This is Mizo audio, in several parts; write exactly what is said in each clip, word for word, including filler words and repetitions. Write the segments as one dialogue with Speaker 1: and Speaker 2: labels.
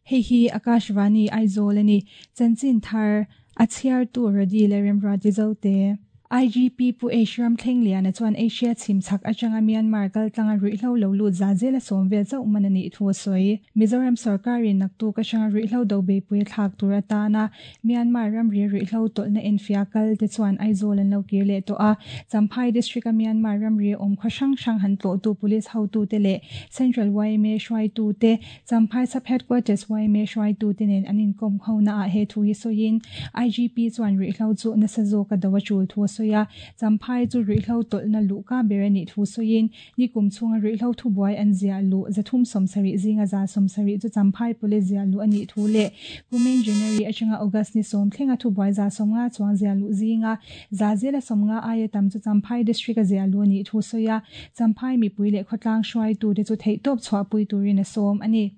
Speaker 1: Hei hi Akashvani Aizawl ani chanchin thar a chhiar tu Radi leh Remruati Zote. I G P Pu H Ramthlengliana chuan Asia chhimchhak atanga Myanmar kaltlanga ruihhlo lo lut za zela sawm vel chauh man ani thu a sawi. Mizoram sarkarin naktuk atanga ruihhlo do beipui thlak tur atana Myanmar ramri ruihhlo tawlhna enfia kal te chuan Aizawl an lo kir leh tawh a. Champhai district a Myanmar ramri awm khaw hrang hrang han tlawh tu police hotu te leh Central Y M A hruaitu te Champhai sub headquarters Y M A hruaitu te nen an inkawm ho na ah he thu hi sawiin I G P chuan ruihhlo chu nasa zawk a do a tul thu a sawi a. Champhai chu ruihhlo tawlhna luhka ber ani thu sawiin nikum chhunga ruihhlo thu buai an zia lu zathum sawmsarih zinga za sawmsarih chu Champhai police zia lu ani thu leh kumin January atanga August ni sawm thlenga thu buai za sawmnga chuang zia lu zinga za zela sawmnga aia tam chu Champhai district a zia lu ani thu sawi a. Champhai mipui leh khawtlang hruaitu te chu theihtawp chhuahpui turin a sawm ani.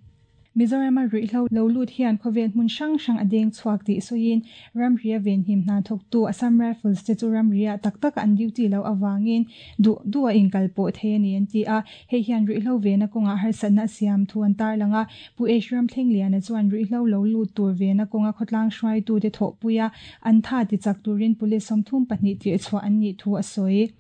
Speaker 1: Mizoram a ruihhlo lo lut hian khawvel hmun hrang hrang a deng chhuak tih sawiin ramria venhim hna thawktu Assam Rifles te chu ramria tak tak an duty lo awangin du du a inkal pawh thei ani an ti a. Hei hian ruihhlo vena kawnga harsatna siam thu an tar langa Pu H Ramthlengliana chuan ruihhlo lo lut tur vena kawnga khawtlang hruaitu te thawhpuia an tha ti chak turin police sawmthum pahnih tir chhuah an nih thu a sawi.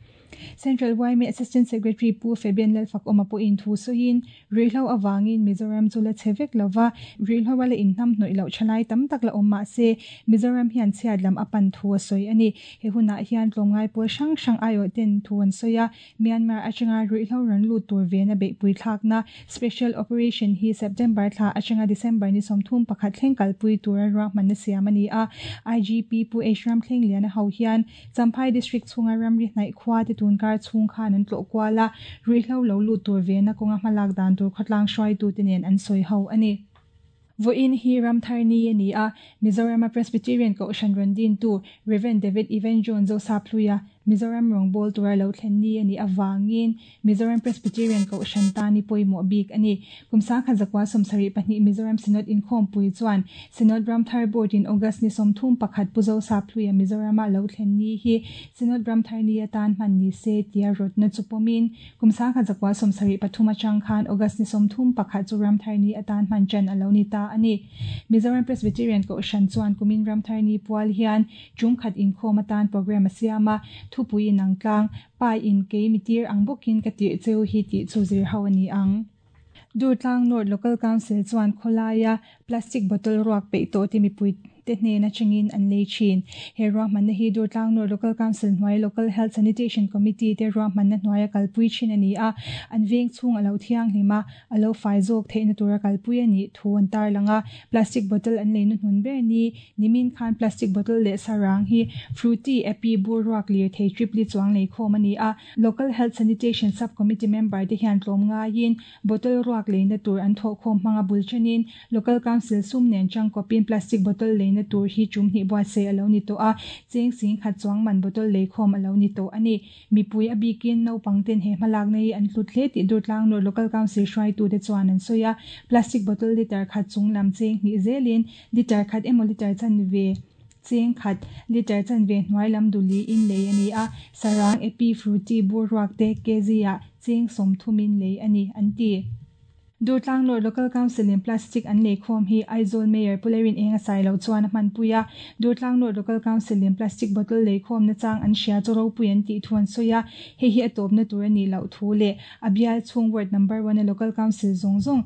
Speaker 1: Central Y M A Assistant Secretary Pu Fabian Lalfak awm a pawhin thu sawiin ruihhlo awangin Mizoram chu la chhe vek lova ruihhlo a la inhnam hnawih loh thalai tam tak la awm mah se Mizoram hian chhiat lam a pan thu a sawi ani. He hunah hian tlawmngai pawl hrang hrang aiawh ten thu an sawi a. Myanmar atanga ruihhlo ran lut tur vena beihpui thlakna Special Operation hi September thla atanga December ni sawmthum pakhat thleng kalpui tura ruahmanna siam ani a. I G P Pu H Ramthlengliana ho hian Champhai district chhunga ramri hnaih khua te tunkar chhung khan an tlawh kual a. Ruihhlo lo lut tur vena kawnga hmalak dan tur khawtlang hruaitu te nen an sawi ho ani. Voin hi Ramthar ni ani a. Mizoram a Presbyterian Kohhran rawn tu Reverend David Evan John Zosapluia Mizoram rawngbâwl tura lo thlen ni ani awangin Mizoram Presbyterian Kohhran tani pawimawh bik ani. Kumsa kha zakwa sawmsarih pahnih Mizoram Synod inkhawmpui chuan Synod Ramthar Board in August ni sawmthum pakhat Pu Zosapluia Mizorama lo thlen ni hi Synod Ramthar ni atan hman ni se tia rawtna chu pawmin kumsa kha zakwa sawmsarih pathum atang khan August ni sawmthum pakhat chu Ramthar ni atan hman chan alo ni ta ani. Mizoram Presbyterian Kohhran chuan kumin Ramthar ni pual hian chungkhat inkhawm atan program a siam a. Thupui in ang tlang pa in ke mitir ang bawkin ka tir cheu hi tih chu zir ho ani ang. Durtlang North Local Council chuan khawlaia plastic bottle ruak peih tawh te mipui te hnena changin an lei thin. He ruahmanna hi Durtlang North Local Council hnuai Local Health Sanitation Committee te ruahmanna hnuaia kalpui thin ani a. An veng chhung alo thiang hlima alo fai zawk theihna tura kalpui ani thu an tar langa. Plastic bottle an leina hnun ber ni nimin khan plastic bottle leh sarang hi fruity epi bur ruak lir thei tripli chuang lei khawm ani a. Local Health Sanitation Subcommittee member te hian tlawm ngaiin bottle ruak leina tur an thawh khawm hmanga bul thenin Local Council sum nen chang kawpin plastic bottle leina tur hi chum hnih buatsaih alo ni tawh a. Cheng sing khat chuang man bottle lei khawm alo ni tawh ani. Mipui a bikin naupang ten he hmalak na hi an hlut hle tih Durtlang North Local Council hruaitu te chuan an sawi a. Plastic bottle liter khat chung lam cheng hnih zelin liter khat emaw liter chan ve cheng khat liter chan ve hnuai lam duli in lei ani a. Sarang epi fruity bur ruak te kg ah cheng sawmthumin lei ani an ti. Durtlang North Local Council in plastic an lei khawm hi Aizawl Mayor Pulerin eng a sai lo chuan a hmanpui a. Durtlang North Local Council in plastic bottle lei khawm na chang an hria chu ropui an tih thu an sawi a. Hei hi a tawpna tur ani loh thu leh a bial chhung ward number one a Local Council zawng zawng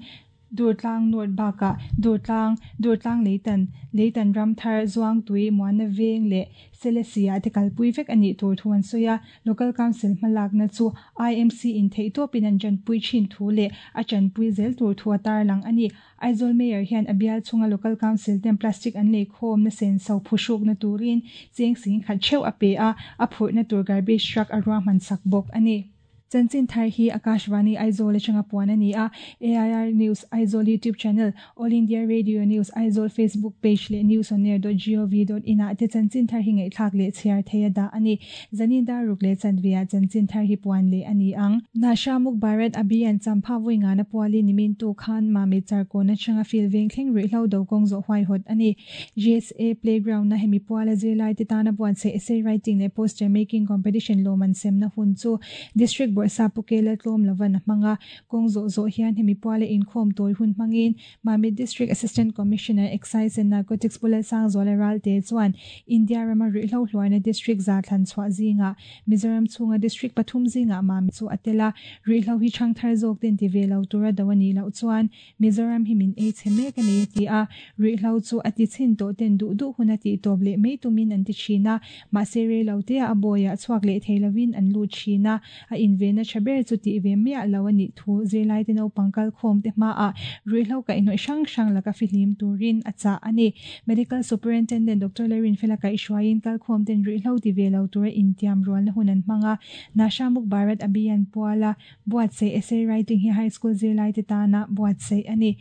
Speaker 1: Durtlang North baka Durtlang Durtlang Leitan Leitan Ramthar Zuang Tui Muana Veng leh Selesia te kalpui vek ani tur thu an sawi a. Local Council hmalakna chu I M C in theihtawpin an chanpui thin thu leh a chanpui zel tur thu a tar lang ani. Aizawl Mayor hian a bial chhunga Local Council ten plastic an lei khawm na sen so phuhrukna turin cheng sing khat theuh a pe a. A phurhna tur garbage truck a ruahman sak bawk ani. Chanchin thar hi Akashvani Aizawl atanga puan ani a, A I R News Aizawl YouTube channel, All India Radio News Aizawl Facebook page leh newsonair dot gov dot in ah te chanchin thar hi ngaihthlak leh chhiar thei a dah a ni. Zanin dar ruk leh chanve ah chanchin thar hi puan leh a ni ang. Nasha Muk Bharat Abhiyan Champha vawi ngana pualin nimin tu khan Mamit Charkawn atanga field veng thleng ruihhlo do kawng zawh huaihawt a ni. G S A Playground na hemi puala zirlai te tana buatsaih essay writing leh poster making competition lawm an semna hun chu District Bawrhsap Pu Kela tlawm lovan a hmang a. Kawng zawh zawh hian hemi puala inkhawm tawi hun hmangin Mamit District Assistant Commissioner Excise and Narcotics Pu Lalsangzuala Ralte chuan India rama ruihhlo hluaina district za thlan chhuah zingah Mizoram chhunga district pathum zingah Mamit chu a tel a, ruihhlo hi thangthar zawk ten ti ve lo tura do a nih loh chuan Mizoram hi min ei chhe mek a ni a ti a. Ruihhlo chu a ti chhin tawh ten duh duh hun a tih tawp leh mai tumin an ti thin a, mahse rei lo te a bawiah chhuak leh thei lovin an lut thin a, a invenna tha ber chu tih ve miah lo a nih thu zirlai te naupang kalkhawm te hmaah ruihhlo kaihhnawih hrang hrang laka fihlim turin a chah a ni. Medical Superintendent Doctor Lalrinfela kaihhruaiin kalkhawm ten ruihhlo ti ve lo tura intiam rualna hun an hmang a. Nasha Muk Bharat Abhiyan puala buatsaih essay writing hi high school zirlai te tana buatsaih a ni.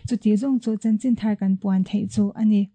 Speaker 1: Chuti zawng chu chanchin thar kan puan theih chu a ni.